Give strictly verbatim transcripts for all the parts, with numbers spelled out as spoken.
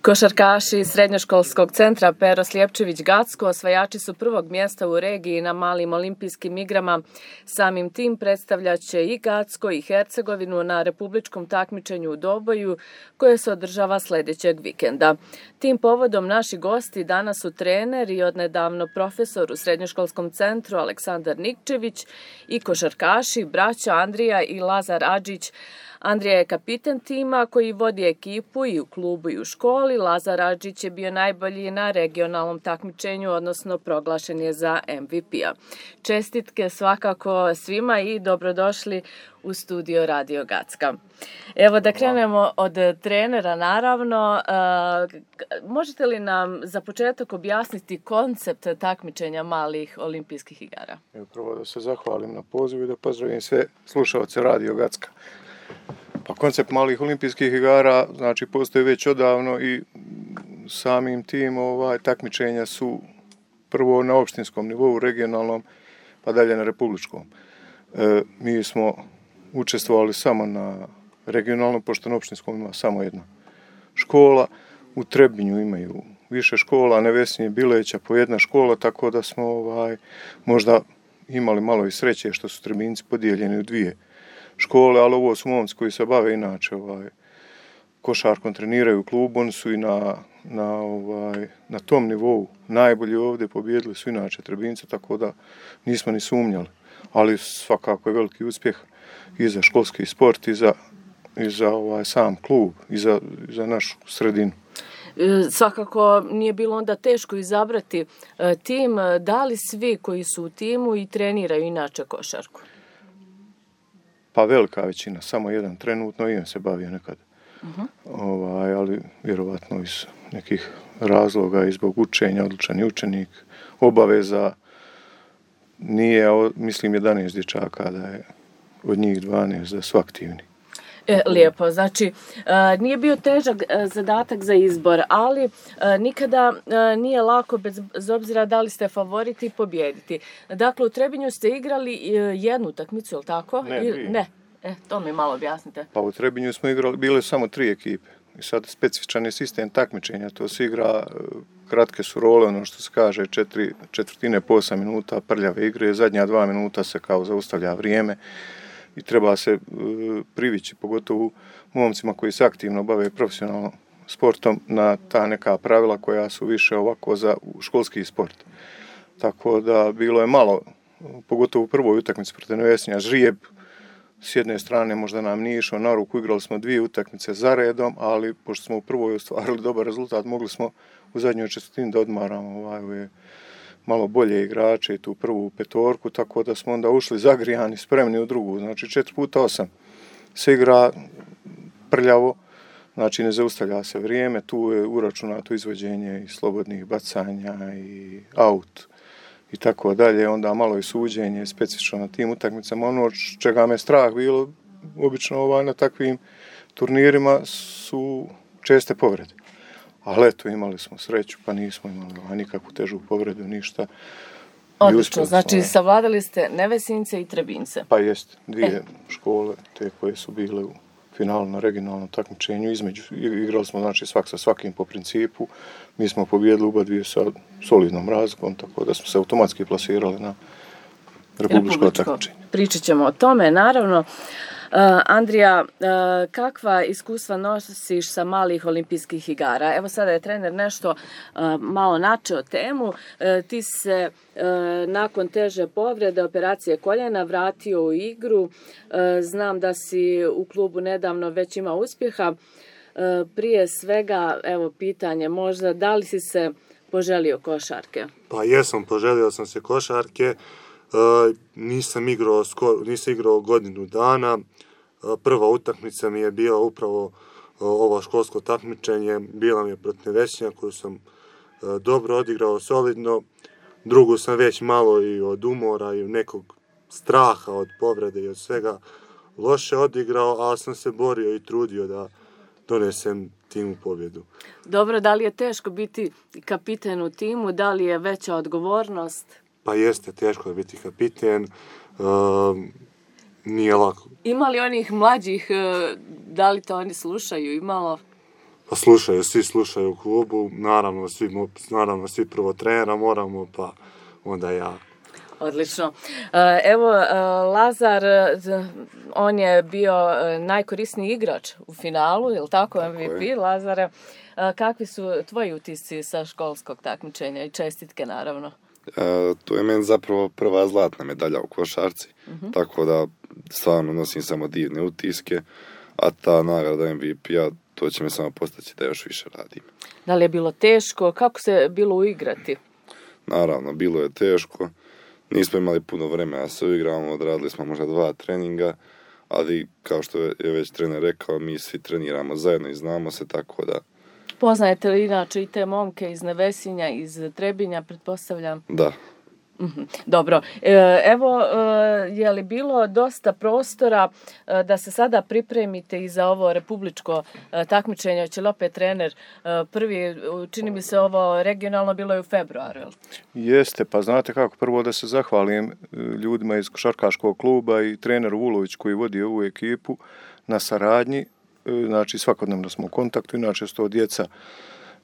Košarkaši Srednjoškolskog centra Pero Sljepčević-Gacko osvajači su prvog mjesta u regiji na malim olimpijskim igrama. Samim tim predstavljaće i Gacko i Hercegovinu na republičkom takmičenju u Doboju koje se održava sljedećeg vikenda. Tim povodom naši gosti danas su trener i odnedavno profesor u Srednjoškolskom centru Aleksandar Nikčević i košarkaši braća Andrija i Lazar Adžić. Andrija je kapiten tima koji vodi ekipu i u klubu i u školi. Lazar Adžić je bio najbolji na regionalnom takmičenju, odnosno proglašen je za M V P-a. Čestitke svakako svima i dobrodošli u studio Radio Gacka. Evo da krenemo od trenera, naravno. Možete li nam za početak objasniti koncept takmičenja malih olimpijskih igara? Evo prvo da se zahvalim na pozivu i da pozdravim sve slušalce Radio Gacka. Pa koncept malih olimpijskih igara znači postoji već odavno i samim tim ovaj, takmičenja su prvo na opštinskom nivou, regionalnom, pa dalje na republičkom. E, mi smo učestvovali samo na regionalnom, pošto na opštinskom ima samo jedna škola. U Trebinju imaju više škola, Nevesinje, Bileća po jedna škola, tako da smo ovaj, možda imali malo i sreće što su Trebinci podijeljeni u dvije škole, ali ovo su momci koji se bave inače ovaj, košarkom, treniraju u klubu, oni su i na, na, ovaj, na tom nivou najbolji ovdje, pobijedili su inače Trebince, tako da nismo ni sumnjali. Ali svakako je veliki uspjeh i za školski sport i za, i za ovaj, sam klub i za, i za našu sredinu. Svakako nije bilo onda teško izabrati tim. Da li svi koji su u timu i treniraju inače košarku? Pa velika većina, samo jedan trenutno i on se bavio nekad. Uh-huh. Ovaj, ali vjerovatno iz nekih razloga i zbog učenja, odlučan je učenik, obaveza nije, mislim, jedanaest dječaka, da je od njih dvanaest da su aktivni. E, lijepo, znači nije bio težak zadatak za izbor, ali nikada nije lako bez obzira da li ste favoriti pobijediti. Dakle, u Trebinju ste igrali jednu utakmicu, je li tako? Ne, dvije. Ne, e, to mi malo objasnite. Pa u Trebinju smo igrali, bile samo tri ekipe. I sad specifičan je sistem takmičenja, to se igra, kratke su role, ono što se kaže, četiri četvrtine po osam minuta prljave igre, zadnja dva minuta se kao zaustavlja vrijeme. I treba se privići, pogotovo momcima koji se aktivno bave profesionalno sportom, na ta neka pravila koja su više ovako za školski sport. Tako da bilo je malo, pogotovo u prvoj utakmici protiv Nevesinja, žrijeb s jedne strane možda nam nije išao na ruku, igrali smo dvije utakmice za redom, ali pošto smo u prvoj ostvarili dobar rezultat, mogli smo u zadnjoj četvrtini da odmaramo ovaj, malo bolje igrače i tu prvu petorku, tako da smo onda ušli zagrijani, spremni u drugu. Znači četiri puta osam se igra prljavo, znači ne zaustavlja se vrijeme, tu je uračunato izvođenje i slobodnih bacanja i aut i tako dalje, onda malo i suđenje specifično na tim utakmicama. Ono čega me strah bilo, obično ovaj, na takvim turnirima su česte povrede. Ali eto, imali smo sreću, pa nismo imali nikakvu težu povredu, ništa. Odlično, znači savladali ste Nevesince i Trebince. Pa jest, dvije e. škole, te koje su bile u finalu na regionalnom takmičenju. Između, igrali smo znači svak sa svakim po principu. Mi smo pobijedili oba dvije sa solidnom razlikom, tako da smo se automatski plasirali na republičko takmičenje. Pričat ćemo o tome, naravno. Uh, Andrija, uh, kakva iskustva nosiš sa malih olimpijskih igara? Evo sada je trener nešto uh, malo načeo temu. Uh, ti se uh, nakon teže povrede, operacije koljena, vratio u igru. Uh, znam da si u klubu nedavno već imao uspjeha. Uh, prije svega, evo pitanje možda, da li si se poželio košarke? Pa jesam, poželio sam se košarke. Uh, nisam igrao, skoro, nisam igrao godinu dana. Uh, prva utakmica mi je bila upravo uh, ovo školsko takmičenje. Bila mi je protiv Nevesinja koju sam uh, dobro odigrao, solidno. Drugu sam već malo i od umora i nekog straha od povrede i od svega loše odigrao, ali sam se borio i trudio da donesem timu pobjedu. Dobro, da li je teško biti kapiten u timu? Da li je veća odgovornost? Pa jeste, teško je biti kapiten, uh, nije lako. Ima li onih mlađih, da li to oni slušaju, imalo? Pa slušaju, svi slušaju u klubu, naravno svi, naravno svi prvo trenera moramo, pa onda ja. Odlično. Evo, Lazar, on je bio najkorisniji igrač u finalu, je li tako, M V P, Lazare? Kakvi su tvoji utisci sa školskog takmičenja i čestitke, naravno? E, to je meni zapravo prva zlatna medalja u košarci, uh-huh. tako da stvarno nosim samo divne utiske, a ta nagrada M V P-a, to će me samo postaći da još više radim. Da li je bilo teško? Kako se bilo uigrati? Naravno, bilo je teško. Nismo imali puno vremena da se uigramo, odradili smo možda dva treninga, ali kao što je već trener rekao, mi svi treniramo zajedno i znamo se, tako da... Poznajete li inače i te momke iz Nevesinja, iz Trebinja, pretpostavljam? Da. Dobro. Evo, je li bilo dosta prostora da se sada pripremite i za ovo republičko takmičenje? Će li opet trener prvi, čini mi se ovo regionalno bilo je u februaru? Jeste, pa znate kako, prvo da se zahvalim ljudima iz košarkaškog kluba i treneru Vulović koji vodi ovu ekipu na saradnji. Znači svakodnevno smo u kontaktu, inače su to djeca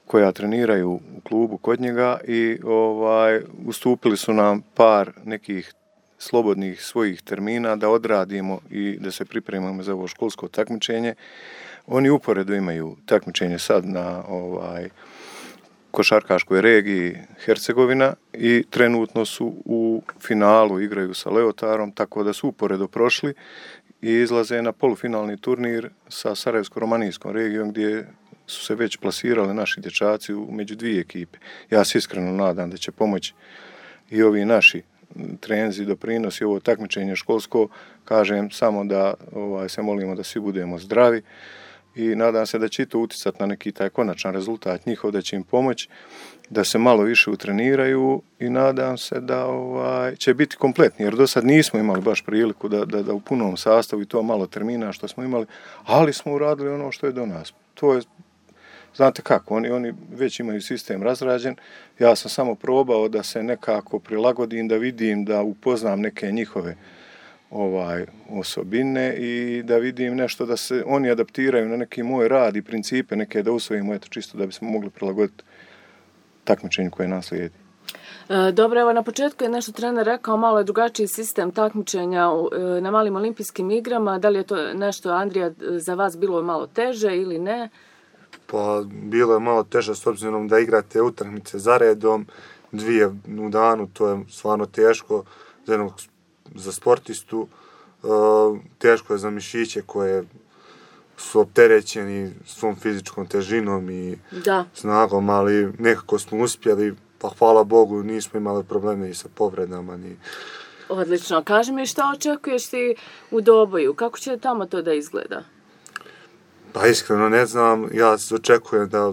koja treniraju u klubu kod njega i ovaj ustupili su nam par nekih slobodnih svojih termina da odradimo i da se pripremimo za ovo školsko takmičenje. Oni uporedo imaju takmičenje sad na ovaj košarkaškoj regiji Hercegovina i trenutno su u finalu, igraju sa Leotarom, tako da su uporedo prošli i izlaze na polufinalni turnir sa Sarajevsko-romanijskom regijom gdje su se već plasirali naši dječaci među dvije ekipe. Ja se iskreno nadam da će pomoći i ovi naši trenzi, doprinosi, ovo takmičenje školsko. Kažem samo da ovaj, se molimo da svi budemo zdravi i nadam se da će to uticati na neki taj konačan rezultat njihov, da će im pomoći da se malo više utreniraju i nadam se da ovaj, će biti kompletni, jer do sad nismo imali baš priliku da, da, da u punom sastavu i to malo termina što smo imali, ali smo uradili ono što je do nas. To je, znate kako, oni, oni već imaju sistem razrađen, ja sam samo probao da se nekako prilagodim, da vidim, da upoznam neke njihove ovaj osobine i da vidim nešto da se oni adaptiraju na neki moj rad i principe, neke da usvojimo, eto čisto da bismo mogli prilagoditi takmičenju koje nas slijedi. Dobro, evo na početku je nešto trener rekao, malo je drugačiji sistem takmičenja na malim olimpijskim igrama. Da li je to nešto, Andrija, za vas bilo malo teže ili ne? Pa bilo je malo teže s obzirom da igrate utakmice za redom, dvije u danu, to je stvarno teško za jednog za sportistu, teško je za mišiće koje su opterećeni svom fizičkom težinom i da. snagom, ali nekako smo uspjeli, pa hvala Bogu nismo imali probleme i sa povredama. Ni... Odlično. Kaži mi šta očekuješ ti u Doboju, kako će tamo to da izgleda? Pa iskreno ne znam, ja očekujem da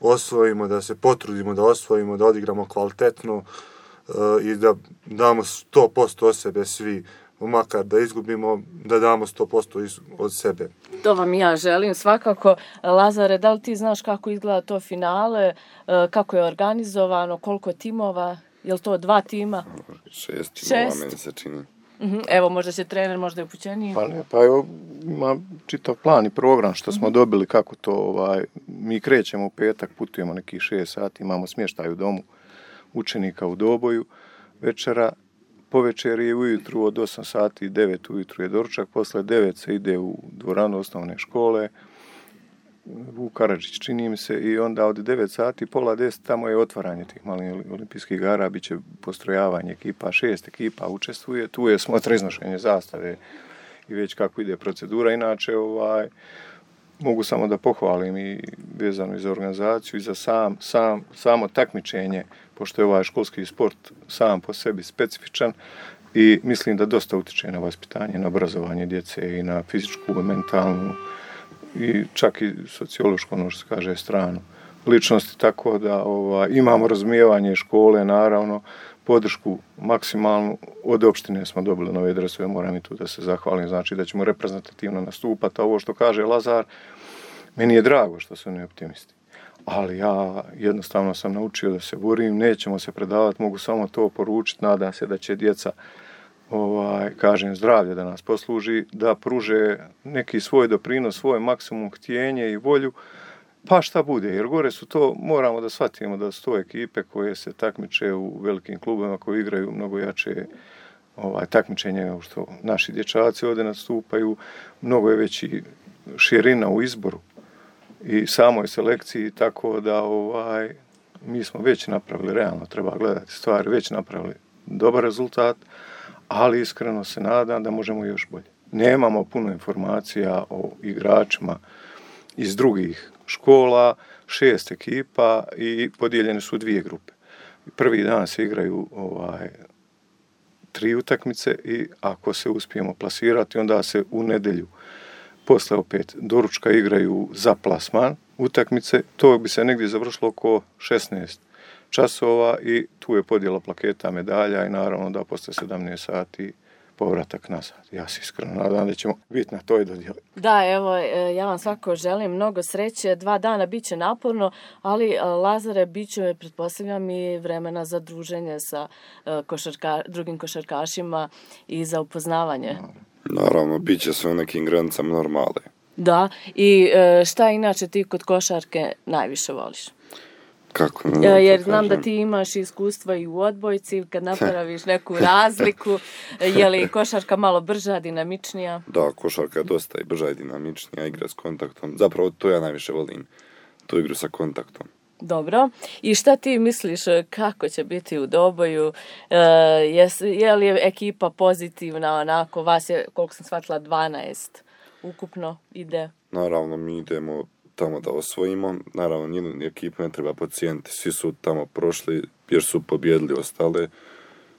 osvojimo, da se potrudimo da osvojimo, da odigramo kvalitetno uh, i da damo sto posto od sebe svi, makar da izgubimo, da damo sto posto od sebe. To vam ja želim svakako. Lazare, da li ti znaš kako izgleda to finale, kako je organizovano, koliko timova, je li to dva tima? Šest timova, Šest. meni se čini. Uh-huh. Evo, možda će trener, možda je upućeniji. Pa ne, pa evo, ima čitav plan i program što smo uh-huh. dobili, kako to, ovaj, mi krećemo u petak, putujemo nekih šest sati, imamo smještaj u domu učenika u Doboju, večera, po večeri je ujutru od osam sati, devet ujutru je doručak, posle devet se ide u dvoranu osnovne škole, u Karadžić čini mi se, i onda od devet sati, pola deset, tamo je otvaranje tih malih olimpijskih igara, bit će postrojavanje ekipa, šest ekipa učestvuje, tu je smotra iznošenje zastave i već kako ide procedura. Inače, ovaj, mogu samo da pohvalim i vezano i za organizaciju i za sam, sam, samo takmičenje, pošto je ovaj školski sport sam po sebi specifičan i mislim da dosta utiče na vaspitanje, na obrazovanje djece i na fizičku i mentalnu i čak i sociološku, ono što se kaže, stranu ličnosti, tako da ovaj, imamo razumijevanje škole, naravno, podršku maksimalnu. Od opštine smo dobili nove dresove, moram i tu da se zahvalim, znači da ćemo reprezentativno nastupati. A ovo što kaže Lazar, meni je drago što su oni optimisti. Ali ja jednostavno sam naučio da se borim, nećemo se predavati, mogu samo to poručiti, nadam se da će djeca, ovaj, kažem, zdravlje da nas posluži, da pruže neki svoj doprinos, svoj maksimum htjenje i volju Pa šta bude, jer gore su to, moramo da shvatimo da su to ekipe koje se takmiče u velikim klubovima, koji igraju mnogo jače ovaj, takmičenje nego što naši dječaci ovdje nastupaju, mnogo je veći širina u izboru i samoj selekciji, tako da ovaj, mi smo već napravili, realno treba gledati stvari, već napravili dobar rezultat, ali iskreno se nadam da možemo još bolje. Nemamo puno informacija o igračima iz drugih škola, šest ekipa i podijeljene su dvije grupe. Prvi dan se igraju ovaj, tri utakmice i ako se uspijemo plasirati, onda se u nedjelju posle opet doručka igraju za plasman utakmice. To bi se negdje završilo oko šesnaest časova i tu je podjela plaketa, medalja i naravno da posle sedamnaest sati povratak nazad. Ja se iskreno nadam da ćemo biti na toj dodjeli. Da, evo, ja vam svako želim mnogo sreće. Dva dana bit će naporno, ali Lazare, bit će, pretpostavljam, i vremena za druženje sa košarka, drugim košarkašima i za upoznavanje. Naravno, bit će sve u nekim granicama normale. Da, i šta inače ti kod košarke najviše voliš? Kako? Ne, jer znam da ti imaš iskustva i u odbojci, kad napraviš neku razliku, je li košarka malo brža, dinamičnija? Da, košarka je dosta i brža i dinamičnija, igra s kontaktom. Zapravo to ja najviše volim, tu igru sa kontaktom. Dobro. I šta ti misliš kako će biti u Doboju? E, je, je li ekipa pozitivna, onako, vas je, koliko sam shvatila, dvanaest ukupno ide? Naravno, mi idemo tamo da osvojimo. Naravno, nijednu ekipu ne treba podcijeniti. Svi su tamo prošli jer su pobjedili ostale.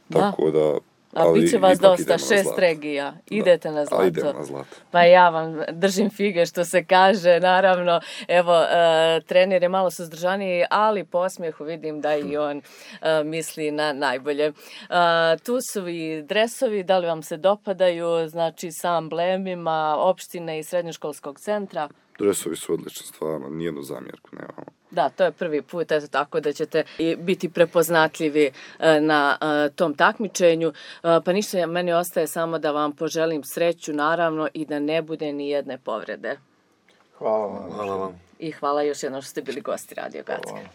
Da. Tako da... A bit će vas dosta, šest regija. Idete da, na zlato. A idemo na zlato. Pa ja vam držim fige što se kaže, naravno. Evo, e, trener je malo suzdržaniji, ali po osmijehu vidim da i on e, misli na najbolje. E, tu su i dresovi, da li vam se dopadaju, znači sa amblemima opštine i srednjoškolskog centra? Dresovi su odlični, stvarno, nijednu zamjerku nemamo. Da, to je prvi put, eto tako da ćete biti prepoznatljivi na tom takmičenju. Pa ništa, meni ostaje samo da vam poželim sreću, naravno, i da ne bude ni jedne povrede. Hvala vam. Hvala vam. I hvala još jednom što ste bili gosti Radio Gacka.